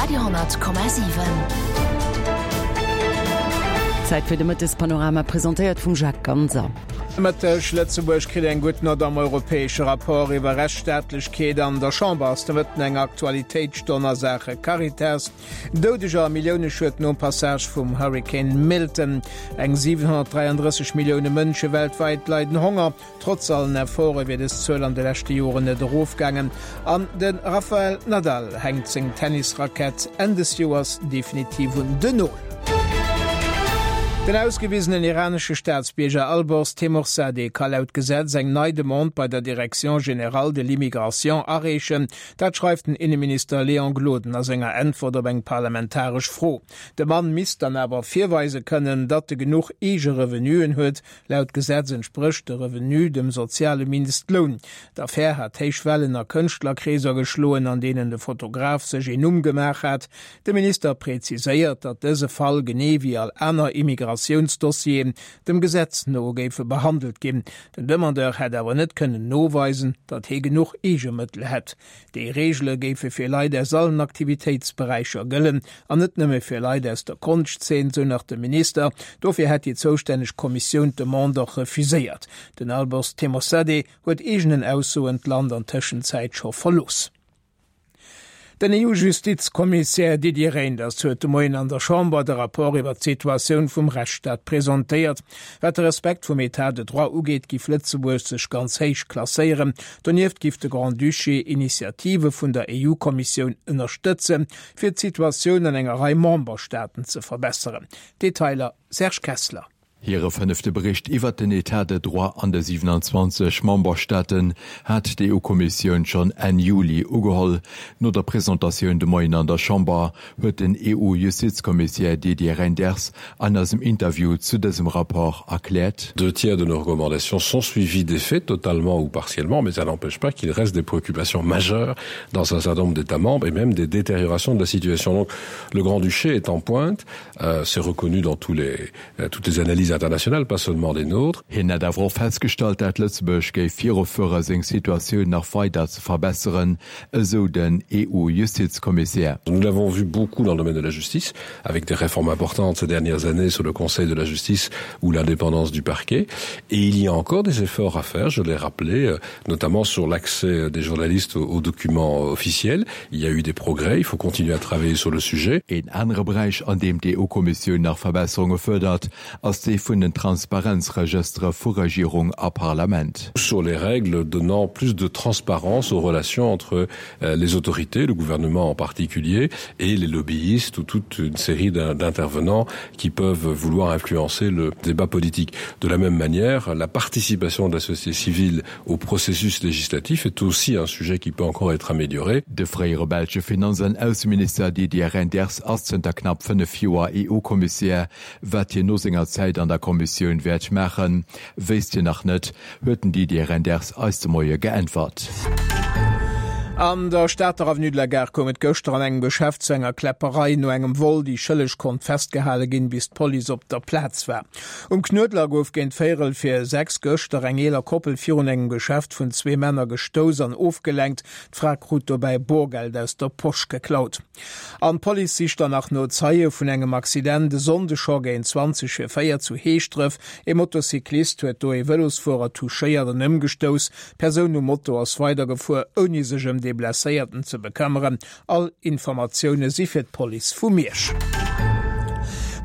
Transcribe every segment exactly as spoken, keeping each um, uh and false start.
Radio honnert Komma siwen. Zäit fir de Mëttespanorama, presentéiert vum Jacques Ganser. Mëtteg, Lëtzebuerg kritt eng gutt Nott am europäesche Rapport iwwer Rechtsstaatlechkeet. An der Chamber ass de Mëtten eng Aktualitéitsstonn a Saache Caritas. Doudeger a Milliouneschued nom Passage vum Hurrikan Milton. Eng siwenhonnertdräiandrësseg Millioune Mënsche weltwäit leiden Honger. Trotz allen Efforte wier dës Zuel an de leschte Joren net erofgaangen. An de Rafael Nadal hänkt seng Tennisrackett Enn des Joers definitiv un den Nol. Den ausgewisenen iranesche Staatsbierger Alborz Teymoorzadeh ka laut Gesetz eng nei Demande bei der Direction générale de l'immigration areechen. Dat schreift den Inneminister Léon Gloden a senger Äntwert op eng parlamentaresch Fro. De Mann misst dann awer virweise kënnen, datt e genuch eege Revenuen huet. Laut Gesetz entsprécht de Revenu dem soziale Mindestloun. D'Affär hat héich Wellen a Kënschtlerkreeser geschloen, an deenen de Fotograf sech een Numm gemaach hat. De Minister präziséiert, datt dëse Fall genee wéi all aner Immigratiounsdossieren dem Gesetz no géife behandelt ginn. Den Demandeur hätt awer net kënnen noweisen, datt hie genuch Eegemëttel hätt. Déi Reegele géife fir Leit aus allen Aktivitéitsberäicher gëllen an net nëmme fir Leit aus der Konschtzeen, sou nach de Minister. Dofir hätt déi zoustänneg Kommissioun d'Demande och refuséiert. Den Alborz Teymoorzadeh huet eegenen Aussoen d'Land an Tëschenzäit scho verlooss. Den E U-Justizkommissär Didier Reynders huet de Moien an der Chamber de Rapport iwwer d'Situatioun vum Rechtsstaat presentéiert. Wat de Respekt vum Etat de droit ugeet, giff Lëtzebuerg sech ganz héich klasséieren. Donieft giff de Grand-Duché Initiative vun der E U-Kommissioun ënnerstëtzen, fir d'Situatioun an enger Rei Memberstaaten ze verbesseren. Detailer Serge Kessler. Hire fënnefte Bericht iwwer den Etat de droit an de siewenanzwanzeg Memberstaaten hat d'E U-Kommissioun schonn Enn Juli ugeholl. No der Presentatioun de Moien an der Chamber huet den E U-Justizkommissär Didier Reynders an eisem Interview zu dësem Rapport erkläert: Deux tiers de nos recommandations sont suivies d'effets, totalement ou partiellement, mais ça n'empêche pas qu'il reste des préoccupations majeures dans un certain nombre d'États membres et même des détériorations de la situation. Donc le Grand-Duché est en pointe, euh, c'est reconnu dans tous les, euh, toutes les analyses internationales, pas seulement des nôtres. Hien hätt awer och festgestallt, dat Lëtzebuerg géif virufuere seng Situatioun nach weider ze verbesseren, esou den E U-Justizkommissär. Nous l'avons vu beaucoup dans le domaine de la justice, avec des réformes importantes ces dernières années sur le Conseil de la justice ou l'indépendance du parquet. Et il y a encore des efforts à faire, je l'ai rappelé, euh, notamment sur l'accès des journalistes aux documents officiels. Il y a eu des progrès, il faut continuer à travailler sur le sujet. Een anere Beräich, an deem d'E U-Kommissioun nach Verbesserunge fuerdert, ass dee vun den Transparenzregëstere vu Regierung a Parlament. Sur les règles donnant plus de transparence aux relations entre euh, les autorités, le gouvernement en particulier, et les lobbyistes ou toute une série d'intervenants qui peuvent vouloir influencer le débat politique. De la même manière, la participation de la société civile au processus législatif est aussi un sujet qui peut encore être amélioré. De fréiere belsche Finanz an Ausseminister Didier Reynders ass zënter knapp fënnef Joer E U-Kommissär. Wat hien no senger Zäit an der Kommissioun wäert maachen, wéisst hien nach net, huet den Didier Reynders eis de Moie geäntwert. An der Stater Avenue de la Gare koum et gëschter an engem Geschäft zu enger Kläpperei. No engem Vol, déi Schëlleg konnt festgehale ginn, bis d'Police op der Plaz war. Um Knuedler gouf géint véierel vir sechs gëschter eng eeler Koppel virun engem Geschäft vun zwee Männer gestouss an ofgelenkt. D'Fra krut dobäi Borgeld aus der Posch geklaut. An d'Police sicht dann nach no Zeie vun engem Accident e Sonndeg scho géint zwanzeg vir véier zu Heeschdref. E Motocyclist huet do e Vëlosfuerer touchéiert an ëmgestouss. D'Persoun um Moto ass weidergefuer, ouni sech ëm dee Blesséierten ze bekëmmeren. All Informatioune si fir d'Police vu Miersch.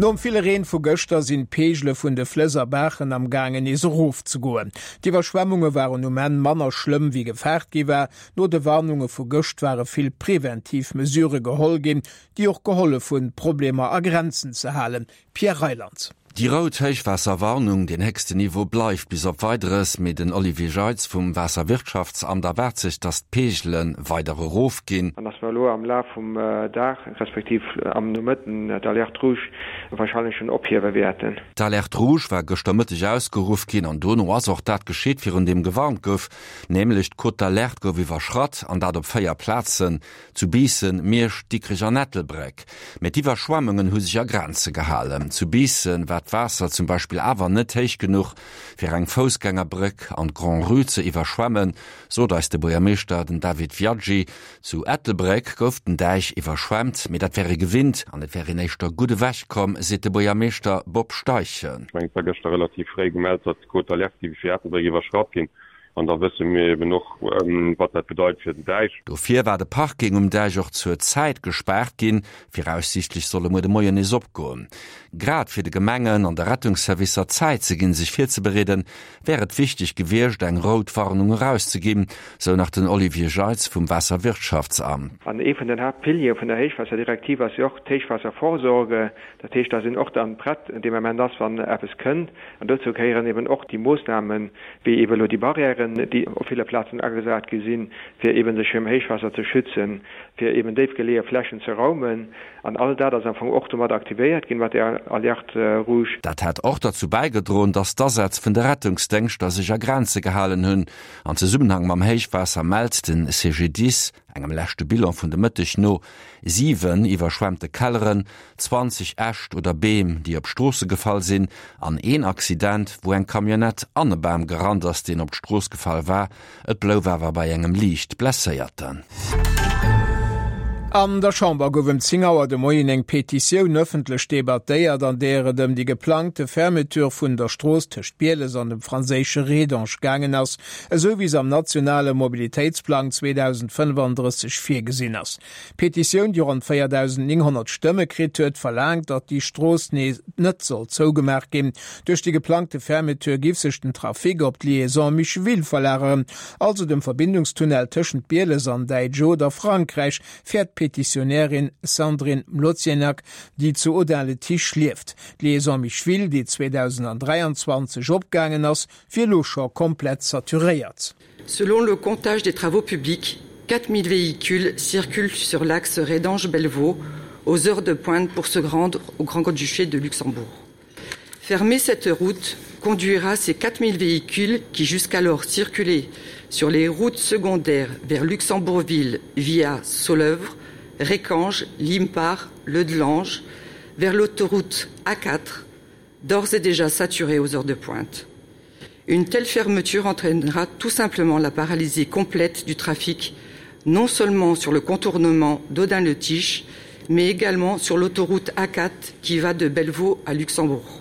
Nom ville Reen vu gëschter sinn d'Peegele vun de Flëss a Baachen am gaangen nees erofzegoen. D'Iwwerschwemmunge waren um Enn manner schlëmm wéi gefaart gi war. No de Warnunge vu gëscht ware vill preventiv Mesure geholl ginn, déi och gehollef hunn, d'Problemer a Grenzen ze halen. Pierre Reyland. Déi rout Héichwaasserwarnung, den héchsten Niveau bleift bis op Weideres, mee den Olivier Jeitz vum Waasserwirtschaftsamt erwaart sech, datt d'Peegele weider erofginn. An dass mer elo am Laf vum Dag, respektiv am Nomëtten d'Alerte rouge warscheinlech schonn ophiewe wäerten. D'Alerte rouge war gëschter Mëtteg ausgeruff ginn an dono ass och dat geschitt, virun deem gewarnt gouf, nämlech d'Cote d'alerte gouf iwwerschratt an dat op véier Plazen, zu Biissen, Miersch, Dikrech an Ettelbréck. Mee d'Iwwerschwemmungen hu sech a Grenze gehalen. Zu Biissen war war d'Waasser zum Beispill awer net héich genuch, fir eng Foussgängerbréck an d'Grand-Rue ze iwwerschwemmen, sot eis de Buergermeeschter, den David Viaggi. Zu Ettelbréck gouf den Däich iwwerschwemmt, mee dat wär ee gewinnt an et wär een éischter gutt ewech komm, seet de Buergermeeschter Bob Steichen. Ech mengen, et war gëschter relativ fréi gemellt, datt d'Cote d'alerte géif fir Ettelbréck iwwerschratt ginn. An da wësse mir eben och, wat dat bedeit fir den Däich. Dofir war de Parking um Däich och zur Zäit gespaart ginn. Viraussiichtlech soll e muer de Moien nees opgoen. Grad fir de Gemengen an de Rettungsservicer Zäit ze ginn, sech virzebereeden, wär et wichteg gewiescht, eng rout Warnung erauszeginn, sou nach den Olivier Jeitz vum Waasserwirtschaftsamt. An ee vun den Haaptpiliere vun der Héichwaasserdirektiv ass jo och d'Héichwaasservorsorge. Dat heescht, dass een och dann prett dee Moment ass, wann eppes kënnt. An dozou gehéieren eben och déi Moossnamen, wéi eben elo déi Barrièren, déi op ville Plazen agesat gi sinn, fir eben sech virum Héichwaasser ze schützen, fir eben déif geleeë Flächen ze raumen. An all dat ass am Fong och domat aktivéiert ginn, mat där Alerte rouge. Dat hätt och derzou bäigedroen, datt d'Asätz vun de Rettungsdéngschter sech a Grenze gehalen hunn. An Zesummenhang mam Héichwaasser mellt de CGDIS engem leschte Bilan vun de Mëtteg no siwen iwwerschwemmte Kelleren, zwanzeg Äscht oder Beem, déi op Stroosse gefall sinn, an een Accident, wou eng Camionnette an e Bam gerannt ass, deen op d'Strooss gefall war. Et blouf awer bei engem liicht Blesséierten. An der Chamber gouf ëm zéng Auer de Moien eng Petitioun ëffentlech debattéiert, an där et ëm déi geplangte Fermeture vun der Strooss tëscht Bieles an dem franséische Rédange gaangen ass, esou wéi se am nationale Mobilitéitsplang zweedausendfënnefandrësseg virgesinn ass. D'Petitioun, déi ronn véierdausendnénghonnert Stëmme kritt huet, verlaangt, datt déi Strooss nees net soll zougemaach ginn. Duerch déi geplangte Fermeture giff sech den Trafic op d'Liaison Micheville verlageren, also dem Verbindungstunnel tëschent Bieles an Däitsch oder Frankräich, fäert d'Petitionärin Sandrine Mlozienak, déi zu Audun-le-Tiche lieft. D'Liaison Micheville, déi zweedausendräianzwanzeg opgaangen ass, wier elo scho komplett saturéiert. Selon le comptage des travaux publics, quatre mille véhicules circulent sur l'axe Rédange-Bellevaux aux heures de pointe pour se rendre au Grand-Duché de Luxembourg. Fermer cette route conduira ces quatre mille véhicules qui jusqu'alors circulaient sur les routes secondaires vers Luxembourgville via Soleuvre, Récange, Limpar, Leudelange, vers l'autoroute A quatre, d'ores et déjà saturée aux heures de pointe. Une telle fermeture entraînera tout simplement la paralysie complète du trafic, non seulement sur le contournement d'Audun-le-Tiche, mais également sur l'autoroute A quatre qui va de Bellevaux à Luxembourg.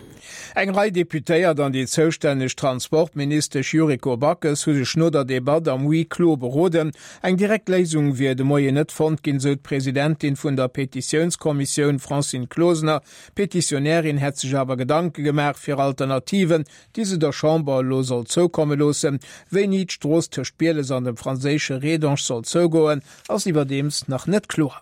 Eng Rei Deputéiert an déi zoustänneg Transportministesch Yuriko Backes hu sech no der Debatt am Huis clos beroden. Eng direkt Léisung wier de Moien net fonnt ginn, sou d'Presidentin vun der Petitiounskommissioun Francine Closener. D'Petitionärin hätt sech awer Gedanke gemaach fir Alternativen, déi se der Chamber elo soll zoukomme loossen. Wéini d'Strooss tëscht Bieles an dem franséische Rédange soll zougoen, ass iwwerdeems nach net kloer.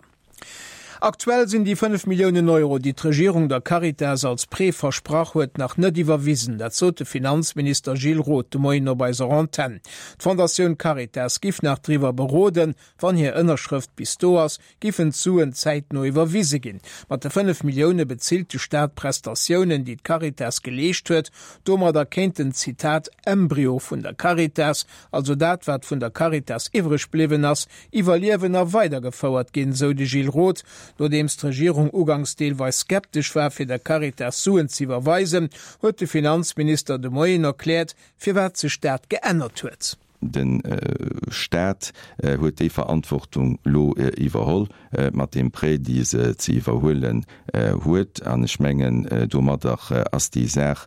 Aktuell sinn déi fënnef Milliounen Euro, déi d'Regierung der Caritas als Prêt versprach huet, nach net iwwerwisen. Dat sot de Finanzminister Gilles Roth de Moien op eiser Antenn. D'Fondatioun Caritas giff nach driwwer beroden. Wann hir Ënnerschrëft bis do ass, giffen d'Suen zäitno iwwerwise ginn. Mat de fënnef Millioune bezilt de Staat Prestatiounen, déi d'Caritas geleescht huet. Domadder kéint den, Zitat, Embryo vun der Caritas, also dat wat vun der Caritas iwwreg bliwwen ass, iwwerliewen a weidergefouert ginn, sou de Gilles Roth. Nodeems d'Regierung uganks deelweis skeptesch war fir der Caritas Suen z'iwwerweisen, huet de Finanzminister de Moien erkläert, firwat sech dat geännert huet. De Staat huet déi Verantwortung elo iwwerholl mat deem Prêt, déi se ze iwwerhuelen huet. An ech mengen, domadder ass déi Saach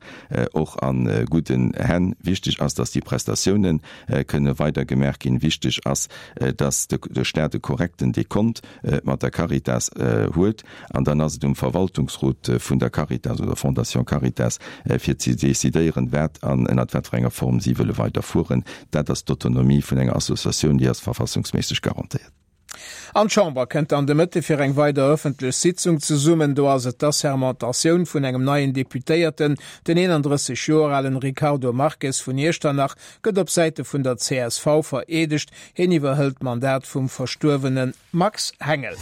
och a gudden Hänn. Wichteg ass, dass déi Prestatiounen kënne weider gemaach ginn. Wichteg ass, dass de Staat e korrekten Dekont mat der Caritas huet. An dann ass et um Verwaltungsrot vun der Caritas oder Fondation Caritas, fir ze decidéieren, wat an ënnert wat fir enger Form si wëlle weiderfueren. Dat ass d'Autonomie vun enger Associatioun, déi ass verfassungsméisseg garantéiert. An d'Chamber kënnt dann de Mëtte fir eng weider ëffentlech Sitzung zesummen. Do ass et d'Assermentatioun vun engem neien Deputéierten. Den eenandrësseg Joer alen Ricardo Marques vun Iechternach gëtt op Säite vun der C S V vereedegt. Hien iwwerhëlt d'Mandat vum verstuerwene Max Hengel.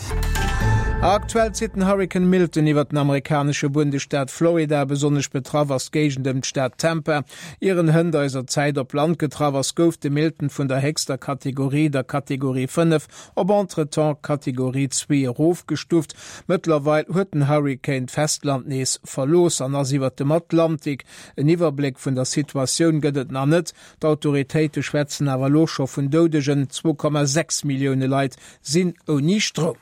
Aktuell zitt den Hurrikan Milton iwwer den amerikanesche Bundesstaat Florida. Besonnesch betraff ass d'Géigend ëm d'Stad Tampa. Ier en hënt eiser Zäit op Land getraff ass, gouf de Milton vun der héchster Kategorie, der Kategorie fënnef, op entretemps Kategorie zwee erofgestuuft. Mëttlerweil huet den Hurrikan d'Festland nees verlooss an ass iwwer dem Atlantik. En Iwwerbléck vun der Situatioun gëtt et nach net. D'Autoritéite schwätzen awer elo scho vun Doudegen. Zwou Komma sechs Millioune Leit sinn ouni Stroum.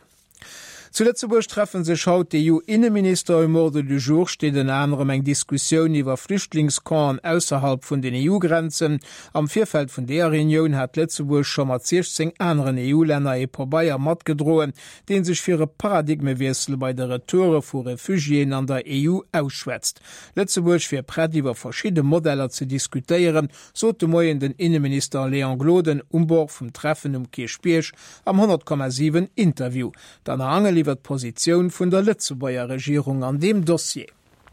Zu Lëtzebuerg treffe sech haut d'EU-Inneminister. Um Ordre du jour steet ënner anerem eng Diskussioun iwwer Flüchtlingscampen ausserhalb vun den EU-Grenzen. Am Virfeld vun deeër Reunioun hat Lëtzebuerg scho mat siechzéng aneren EU-Länner ee Pabeier matgedroen, dee sech fir e Paradigmewiessel bei de Retoure vu Refugiéen an der E U ausschwätzt. Lëtzebuerg wier prett iwwer verschidde Modeller ze diskutéieren, sot de Moien den Inneminister Léon Gloden um Bord vum Treffen um Kierchbierg am honnert Komma siwen Interview. D'Anna Angel iwwer d'Positioun vun der Lëtzebuerger Regierung an deem Dossier.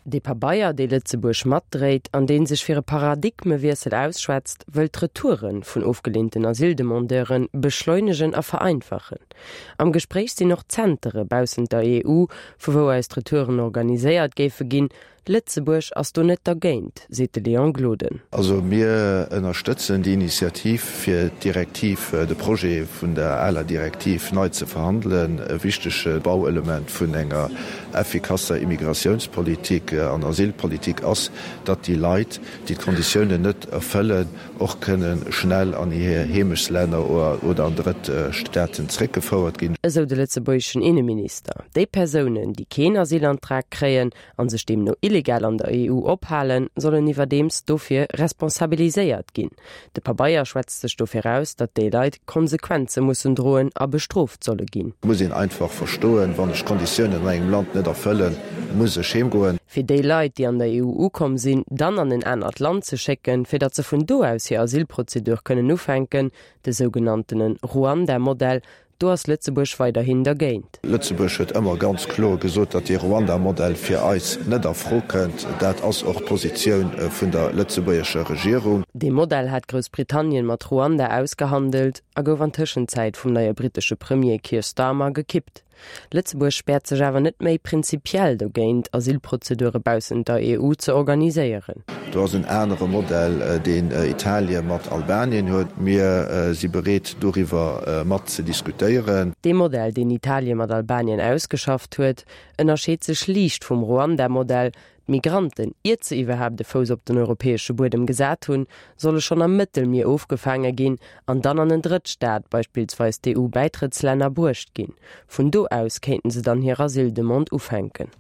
Dee Pabeier, dee Lëtzebuerg matdréit an dee sech fir e Paradigmewiessel ausschwätzt, wëll d'Retoure vun ofgeleenten Asyldemandeure beschleunegen a vereinfachen. Am Gespréich sinn och Zentere baussent der E U, vu wou aus d'Retouren organiséiert géife ginn. Lëtzebuerg ass do net dergéint, seet de Léon Gloden. Also mir ënnerstëtzen déi Initiativ, fir d'Direktiv, de Projet vun der aler Direktiv nei ze verhandelen. E wichtege Bauelement vun enger effikasser Immigratiounspolitik an Asylpolitik ass, datt déi Leit, déi d'Konditiounen net erfëllen, och kënne schnell an hir Heemechtslänner oder an drëtt Staaten zréckgefouert ginn. Esou de lëtzebuergeschen Inneminister. Déi Persounen, déi keen Asylantrag kréien a sech deemno illegal an der E U ophalen, sollen iwwerdeems dofir responsabiliséiert ginn. De Pabeier schwätzt sech dofir aus, datt déi Leit Konsequenze mussen droen a bestrooft solle ginn. Et muss een einfach verstoen, wann ech d'Konditiounen an engem Land net erfëllen, muss ech heem goen. Fir déi Leit, déi an der E U ukomm sinn, dann an en anert Land ze schécken, fir datt se vun do aus hir Asylprozedur kënnen ufänken, de sougenanntene Ruanda-Modell, do ass Lëtzebuerg weiderhin dergéint. Lëtzebuerg huet ëmmer ganz kloer gesot, datt dee Ruanda-Modell fir eis net a Fro kënnt. Dat ass och d'Positioun vun der lëtzebuergescher Regierung. Dee Modell hat Groussbritannien mat Ruanda ausgehandelt a gouf an Tëschenzäit vum neie brittesche Premier Keir Starmer gekippt. Lëtzebuerg späert sech awer net méi prinzipiell dogéint, Asylprozedure baussent der E U ze organiséieren. Do ass en anere Modell, deen Italie mat Albanien huet. Mir si bereet, doriwwer mat ze diskutéieren. Dee Modell, deen Italie mat Albanien ausgeschafft huet, ënnerscheet sech liicht vum Ruanda-Modell, D'Migranten, iert se iwwerhaapt de Fouss op den europäesche Buedem gesat hunn, solle schonn am Mëttelmier ofgefaange ginn an dann an en Drëttstaat, beispillsweis d'E U-Bäitrëttslänner, bruecht ginn. Vun do aus kéinten se dann hir Asyldemande ufänken.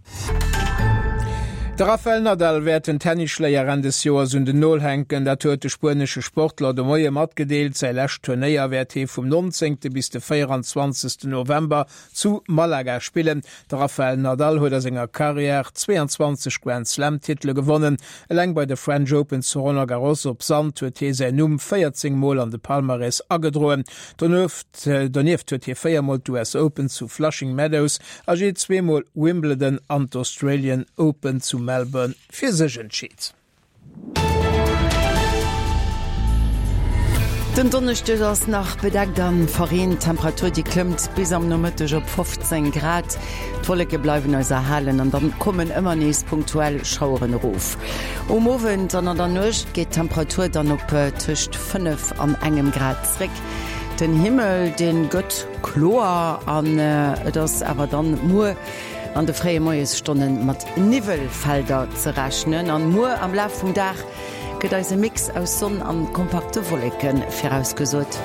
De Rafael Nadal wäert den Tennisschléier Enn des Joers un den Nol hänken. Dat huet de spuenesche Sportler de Moie matgedeelt. Säi lescht Turnéier wäert hie vum nonzéngte bis de véieranzwanzegsten November zu Malaga spillen. De Rafael Nadal huet a senger Karriär zweeanzwanzeg Grand Slam Titele gewonnen. Eleng bei de French Open zu Roland Garros op Sand huet hie säin Numm véierzéng Mol an de Palmarès agedroen. Donieft donieft huet hie véier Mol d'U S Open zu Flushing Meadows a jee zwee Mol Wimbledon an d'Australian Open zu Melbourne fir sech entscheet. Den Donneschdeg ass nach bedeckt an verreent. D'Temperatur déi klëmmt bis am Nomëtteg op fofzéng Grad. D'Wolleke bleiwen eis erhalen an dann kommen ëmmer nees punktuell Schaueren erof. Um Owend an an der Nuecht geet d'Temperatur dann op tëscht fënnef an engem Grad zréck. Den Himmel dee gëtt kloer an et ass awer dann muer an de fréie Moiesstonne mat Niwwelfelder ze rechnen. An muer am Laf vum Dag gëtt eis e Mix aus Sonn an kompakte Wolleke virausgesot.